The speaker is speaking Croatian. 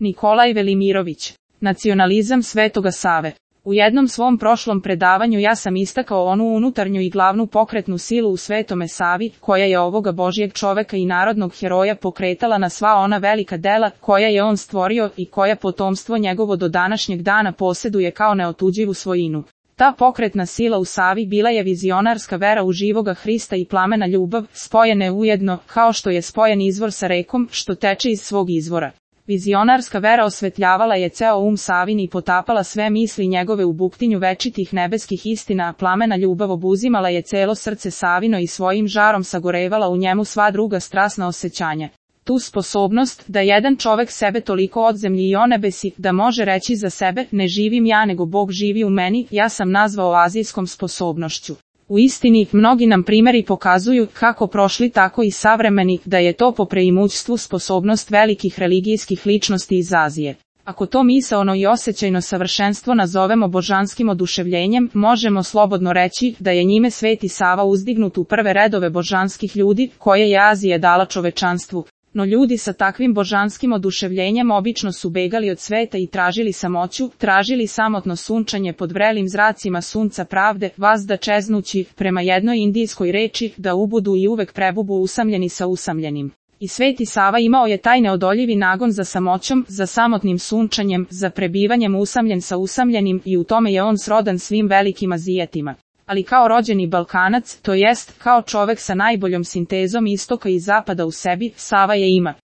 Nikolaj Velimirović. Nacionalizam Svetoga Save. U jednom svom prošlom predavanju ja sam istakao onu unutarnju i glavnu pokretnu silu u Svetome Savi, koja je ovoga Božjeg čoveka i narodnog heroja pokretala na sva ona velika dela koja je on stvorio i koja potomstvo njegovo do današnjeg dana poseduje kao neotuđivu svojinu. Ta pokretna sila u Savi bila je vizionarska vera u živoga Hrista i plamena ljubav, spojene ujedno, kao što je spojen izvor sa rekom, što teče iz svog izvora. Vizionarska vera osvetljavala je ceo Savin i potapala sve misli njegove u buktinju večitih nebeskih istina, a plamena ljubav obuzimala je celo srce Savino i svojim žarom sagorevala u njemu sva druga strasna osjećanja. Tu sposobnost, da jedan čovek sebe toliko od zemlji i onebesi, da može reći za sebe, ne živim ja nego Bog živi u meni, ja sam nazvao azijskom sposobnošću. U istini, mnogi nam primeri pokazuju, kako prošli tako i savremeni, da je to po preimućstvu sposobnost velikih religijskih ličnosti iz Azije. Ako to misaono i osjećajno savršenstvo nazovemo božanskim oduševljenjem, možemo slobodno reći da je njime Sveti Sava uzdignut u prve redove božanskih ljudi, koje je Azija dala čovečanstvu. No ljudi sa takvim božanskim oduševljenjem obično su begali od sveta i tražili samoću, tražili samotno sunčanje pod vrelim zracima sunca pravde, vazda čeznući, prema jednoj indijskoj reči, da ubudu i uvek prebubu usamljeni sa usamljenim. I Sveti Sava imao je taj neodoljivi nagon za samoćom, za samotnim sunčanjem, za prebivanjem usamljen sa usamljenim i u tome je on srodan svim velikim Azijatima. Ali kao rođeni Balkanac, to jest, kao čovek sa najboljom sintezom istoka i zapada u sebi, Sava je ima